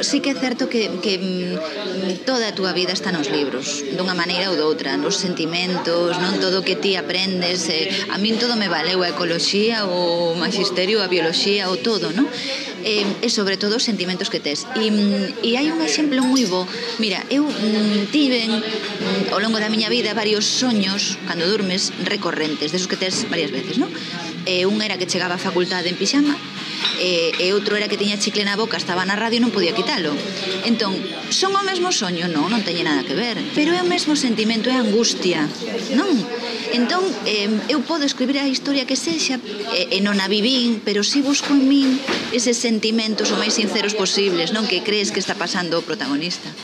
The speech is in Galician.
Sí que é certo que toda a túa vida está nos libros, dunha maneira ou doutra, nos sentimentos, non todo o que ti aprendes. A min todo me valeu, a ecoloxía, o magisterio, a bioloxía, o todo, non? E sobre todo os sentimentos que tes. E hai un exemplo moi bo. Mira, eu tiven ao longo da miña vida varios soños, cando durmes, recorrentes, desos que tes varias veces, non? Un era que chegaba á facultade en pixama, e outro era que tiña chicle na boca, estaba na radio e non podía quitalo. Entón, son o mesmo soño? Non, non teñe nada que ver, pero é o mesmo sentimento, é angustia, non? Entón, eu podo escribir a historia que sexa, e non a vivín, pero si busco en min eses sentimentos o máis sinceros posibles, non? Que crees que está pasando o protagonista.